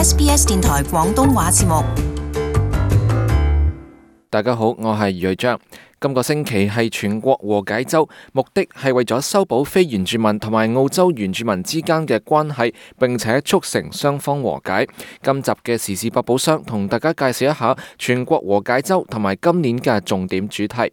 SBS 電台廣東話節目。大家好，我係余瑞章。今個星期係全國和解週，目的係為咗修補非原住民同埋澳洲原住民之間嘅關係，並且促成雙方和解。今集嘅時事百寶箱同大家介紹一下全國和解週同埋今年嘅重點主題。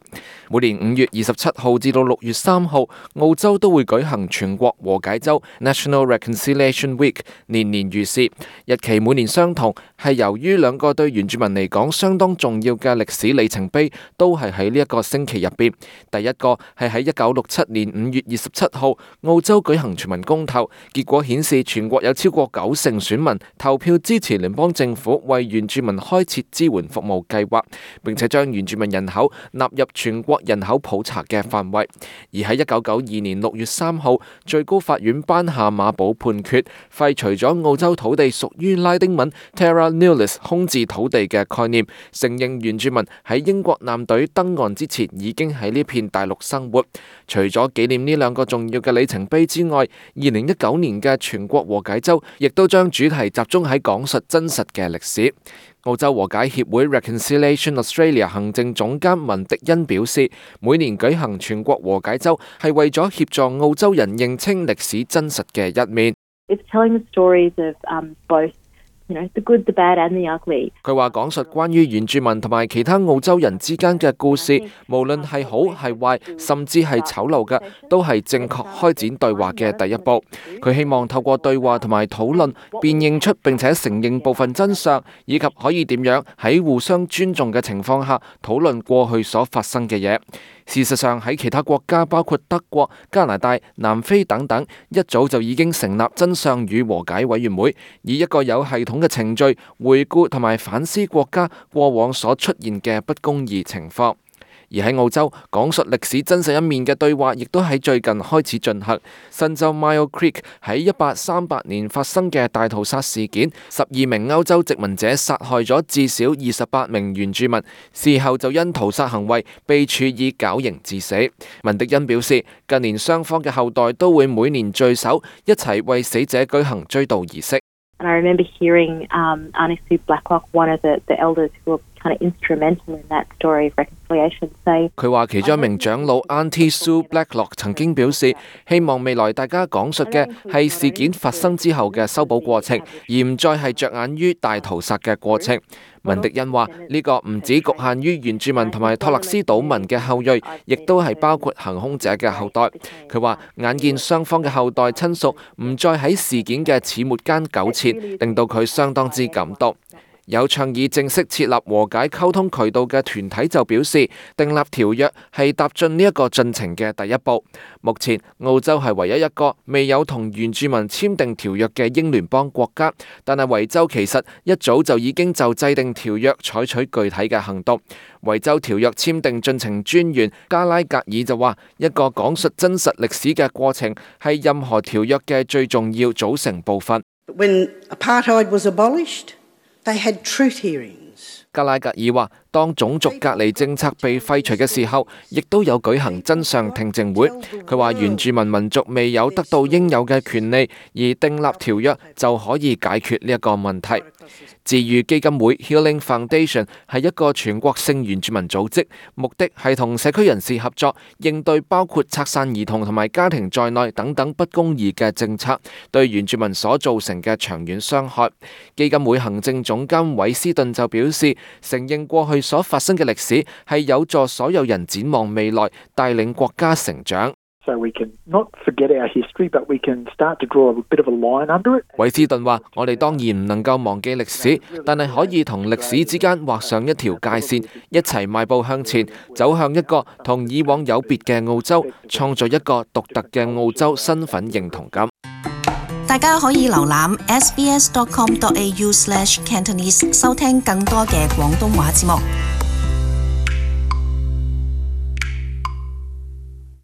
每年5月27號至到6月3號，澳洲都會舉行全國和解週 National Reconciliation Week， 年年如是。日期每年相同，係由於兩個對原住民嚟講相當重要嘅歷史里程碑都係喺呢一個星期入邊。第一個係喺1967年5月27號，澳洲舉行全民公投，結果顯示全國有超過90%選民投票支持聯邦政府為原住民開設支援服務計劃，並且將原住民人口納入全國人口普查嘅範圍。而喺1992年6月3號，最高法院頒下馬保判決，廢除咗澳洲土地屬於拉丁文 Terra Nullius 空置土地嘅概念，承認原住民喺英國艦隊登岸之前已經喺呢片大陸生活。除咗紀念呢兩個重要嘅里程碑之外，2019年嘅全國和解週亦都將主題集中喺講述真實嘅歷史。澳洲和解協會 Reconciliation Australia 行政總監文迪恩表示，每年舉行全國和解週係為咗協助澳洲人認清歷史真實嘅一面。It's telling the stories of both the good, the bad and the ugly. 佢話講述關於原住民同埋其他澳洲人之間嘅故事，無論係好係壞，甚至係醜陋嘅，都係正確開展對話嘅第一步。佢希望透過對話同埋討論，辨認出並且承認部分真相，以及可以點樣喺互相尊重嘅情況下討論過去所發生嘅嘢。事實上喺其他國家，包括德國、加拿大、南非等等，一早就已經成立真相與和解委員會，以一個有系統嘅程序回顧同埋反思國家過往所出現嘅不公義情況。而喺澳洲，講述歷史真實一面嘅對話亦都喺最近開始進行。新州 Myall Creek 喺1838年發生嘅大屠殺事件，12名歐洲殖民者殺害咗至少28名原住民，事後就因屠殺行為被處以絞刑致死。文迪恩表示，近年雙方嘅後代都會每年聚首，一齊為死者舉行追悼儀式。And I remember hearing Auntie Sue Blacklock, one of the elders who were kind of instrumental in that story of reconciliation, say. 佢話其中一名長老 Auntie Sue Blacklock 曾經表示，希望未來大家講述嘅係事件發生之後嘅修補過程，而唔再係着眼於大屠殺嘅過程。文迪恩話：呢個唔止局限於原住民同埋托勒斯島民嘅後裔，亦都係包括行兇者嘅後代。佢話眼見雙方嘅後代親屬唔再喺事件嘅始末間糾纏，令到佢相當之感動。有倡議正式設立和解溝通渠道嘅團體就表示，訂立條約係踏進呢一個進程嘅第一步。目前澳洲係唯一一個未有同原住民簽訂條約嘅英聯邦國家，但係維州其實一早就已經就制定條約採取具體嘅行動。維州條約簽訂進程專員加拉格爾就話，一個講述真實歷史嘅過程係任何條約嘅最重要組成部分。When apartheid was abolished, they had truth hearings. 加拉格爾話，當種族隔離政策被廢除嘅時候，亦都有舉行真相聽證會。佢話原住民民族未有得到應有嘅權利，而訂立條約就可以解決呢一個問題。治癒基金會 Healing Foundation 係一個全國性原住民組織，目的係同社區人士合作，應對包括拆散兒童同埋家庭在內等等不公義嘅政策對原住民所造成嘅長遠傷害。基金會行政總監韋斯頓就表示，承認過去所發生嘅歷史係有助所有人展望未來，帶領國家成長。So we can not forget our history, but we can start to draw a bit of a line under it. 韋斯頓話：我哋當然唔能夠忘記歷史，但係可以同歷史之間畫上一條界線，一齊邁步向前，走向一個同以往有別嘅澳洲，創造一個獨特嘅澳洲身份認同感。大家可以瀏覽 sbs.com.au/cantonese 收聽更多嘅廣東話節目。